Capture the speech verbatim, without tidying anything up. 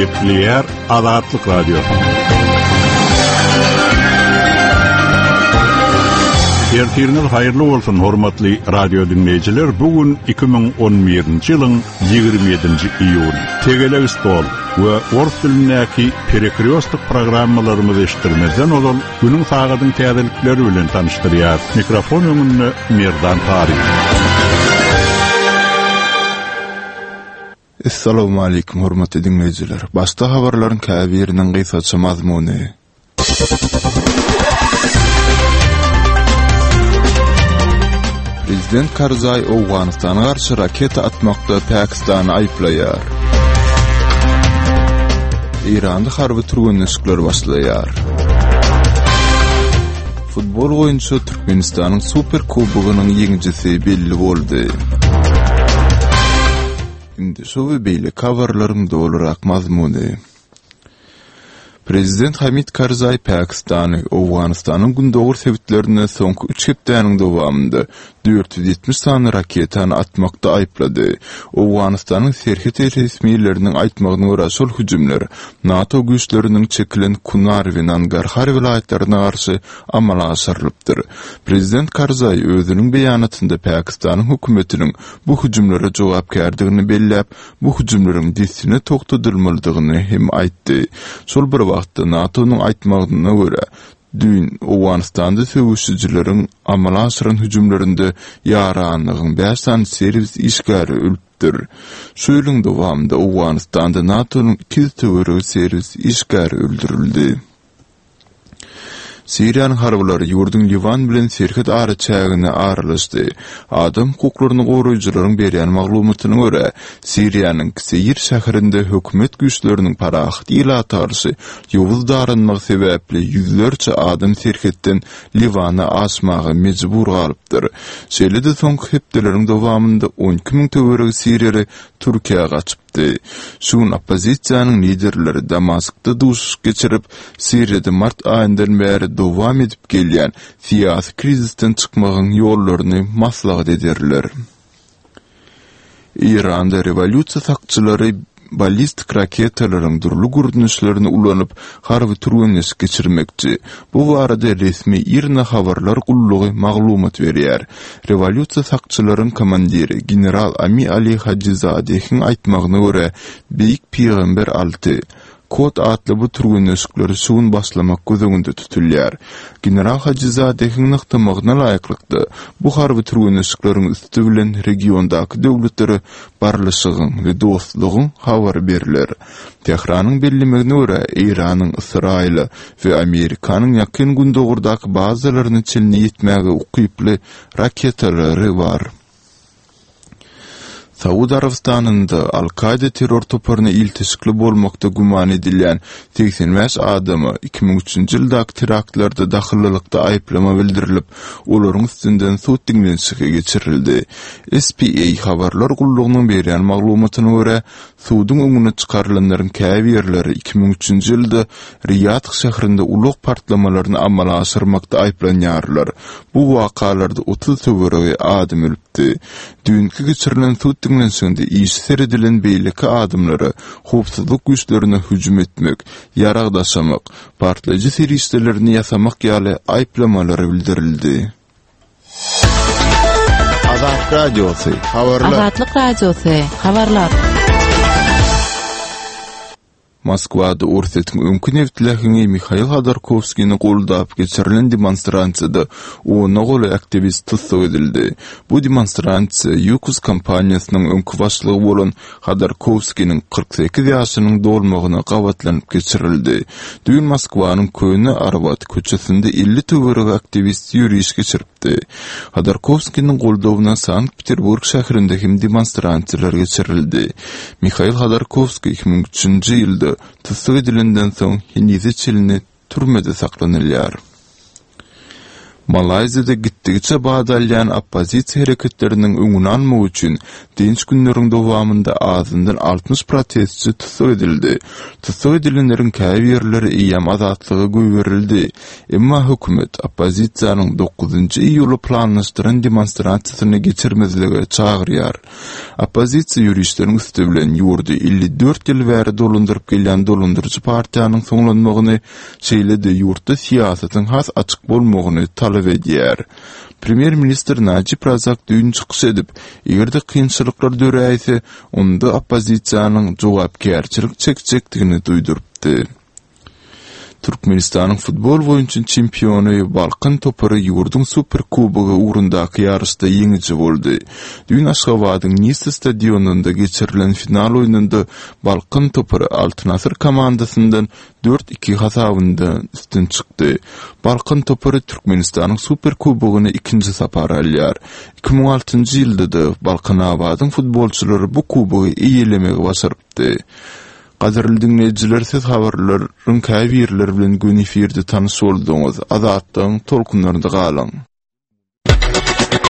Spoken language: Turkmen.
Gepleýär Azatlyk Radiosy. Ertiriňiz haýyrly bolsun, hormatly radio dinleýjiler. Bu gün iki müň on birinji ýylyň ýigrimi ýedinji iýuny. Tegelek stol we ors dilindäki perekriostik programmalarymyzy eşitdirmezden ozal günüň sagadyň täzelikleri bilen tanyşdyrýar. Mikrofon öňünde Merdan Taryk. Essalamu aleýkum hormatly dinleýjiler. Başda habarlaryň käbiriniň gysgaça mazmuny. Prezident Karzai Owganystana garşy raketa atmakda Pakistany aýyplaýar. Eýranda harby türgenleşikler başlaýar. Futbol boýunça Türkmenistanyň Super Kubogynyň ýeňijisi belli boldy. Indi şu we beýleki habarlaryň dolurak mazmuny. Prezident Hamid Karzai Pakistany, Owganystanyň gündogar sebitlerinde soňky üç hepdäniň dowamynda dört ýüz ýetmiş sany raketany atmakda aýyplady. Owganystanyň serhet resmileriniň aýtmagyna görä şol hüjümler NATO güýçleriniň çekilen Kunar we Nangarhar welaýatlaryna garşy amala aşyrylypdyr. Prezident Karzai özüniň beýanatynda Pakistanyň hökümetiniň bu hüjümlere jogapkärdigini belläp, bu hüjümleriň dessine togtadylmalydygyny hem aýtdy. Şol bir wagtda NATO-nyň aýtmagyna görä, düýn Owganystanda söweşijileriň amala aşyran hüjümlerinde ýaranlygyň bäş sany serwis işgäri ölüpdir. Şu ýylyň dowamynda Owganystanda NATO-nyň iki ýüz töweregi serwis işgäri öldürildi. Siriýanyň harbylary ýurduň Liwan bilen serhet araçägine aralaşdy. Adam hukuklaryny goraýjylaryň berýän maglumatyna görä, Siriýanyň Kseýir şäherinde hökümet güýçleriniň parahat ilata garşy ýowuz daranmagy sebäpli ýüzlerçe adam serhetden Liwana aşmaga mejbur galypdyr. Şeýle-de soňky hepdeleriň dowamynda on iki müň töweregi siriýaly Türkiýä gaçypdy. Şu gün oppozisiýanyň liderleri Damaskda duşuşyk geçirip, Siriýada mart aýyndan bäri dowam edip gelýän syýasy krizisden çykmagyň ýollaryny maslahat ederler. Eýranda rewolýusiýa sakçylary ballistik raketalaryň dürli görnüşlerini ulanyp, harby türgenleşik geçirmekçi. Bu barada resmi IRNA habarlar gullugy maglumat berýär. Rewolýusiýa sakçylaryň komandiri general Ami Ali Hajizadehiň aýtmagyna görä, Beýik Pygamber alty Kod atly bu türgenleşikleri şu gün başlamak göz öňünde tutulýar. General Hajizadehiň nygtamagyna laýyklykda, bu harby türgenleşikleriň üsti bilen regiondaky döwletlere barlyşygyň we dostlugyň habary beriler. Tehranyň bellemegine görä, Eýranyň, Ysraýyla we Amerikanyň ýakyn gündogurdaky bazalaryna çenli ýetmäge ukyply raketalary bar. Saud Arabistanynda Al-Kaida terror toparyna ilteşikli bolmakda güman edilýän segsen bäş adama iki müň üçünji ýyldaky teraktlarda dahyllylykda aýyplama bildirilip, olaryň üstünden sud diňlenişigi geçirildi. S P A habarlar gullugynyň berýän maglumatyna görä, suduň öňüne çykarylanlaryň käbirleri iki müň üçünji ýylda Riýad şäherinde ulag partlamalaryny amala aşyrmakda aýyplanýarlar. Bu wakalarda otuz töweregi adam ölüpdi. Düýnki geçirilen sud diňlenişiginde işi seredilen beýleki adamlara howpsuzlyk güýçlerine hüjüm etmek, ýarag daşamak, partlaýjy serişdelerini ýasamak ýaly aýyplamalar bildirildi. Azatlyk Radiosy, habarlar. Azatlyk Radiosy, habarlar. Moskwada Orsýetiň öňki neft läheňi Mihail Hodorkowskini goldap geçirilen demonstrasiýada ona golaý aktiwist tussag edildi. Bu demonstrasiýa Ýukos kompaniýasynyň öňki başlygy bolan Hodorkowskiniň kyrk sekiz ýaşynyň dolmagyna gabatlanyp geçirildi. Düýn Moskwanyň Köne Arbat köçesinde elli töweregi aktiwist ýöriş geçiripdi. Hodorkowskiniň goldawyna Sankt-Peterburg şäherinde hem demonstrasiýalar geçirildi. Mihail Hodorkowskiý iki müň üçünji ýylda tussag edilenden soň henize çenli türmede saklanylýar. Malaýziýada gitdigiçe bat alýan oppozisiýa hereketleriniň öňüni almak üçin dynç günleriň dowamynda azyndan altmyş protestçi tussag edildi. Tussag edilenleriň käbirleri eýýäm azatlyga goýberildi. Emma hökümet oppozisiýanyň dokuzynjy iýula planlaşdyran demonstrasiýasyny geçirmezlige çagyrýar. Oppozisiýa ýörişleriň üsti bilen ýurdy elli dört ýyl bäri dolandyryp gelýän dolandyryjy partiýanyň soňlanmagyny, şeýle-de ýurtda syýasatyň has açyk bolmagyny talap edýär. Premýer-ministr Najib Razak düýn çykyş edip, eger-de kynçylyklar döräýse, onda oppozisiýanyň jogapkärçilik çekjekdigini duýdurypdy. Türkmenistanyň futbol boýunça çempiony Balkan topary ýurduň Super Kubogy ugrundaky ýaryşda ýeňiji boldy. Düýn Aşgabadyň Nisa stadionynda geçirilen final oýnunda Balkan topary Altyn Asyr komandasyndan dört iki hasabynda üstün çykdy. Balkan topary Türkmenistanyň Super Kubogyny ikinji sapar alýar. Iki müň altynjy ýylda-da Balkanabadyň futbolçylary bu kubogy eýelemegi başarypdy. Gadyrly diňleýjiler, siz habarlaryň käbirleri bilen göni efirde tanyş bolduňyz. Azatlygyň tolkunlarynda galyň.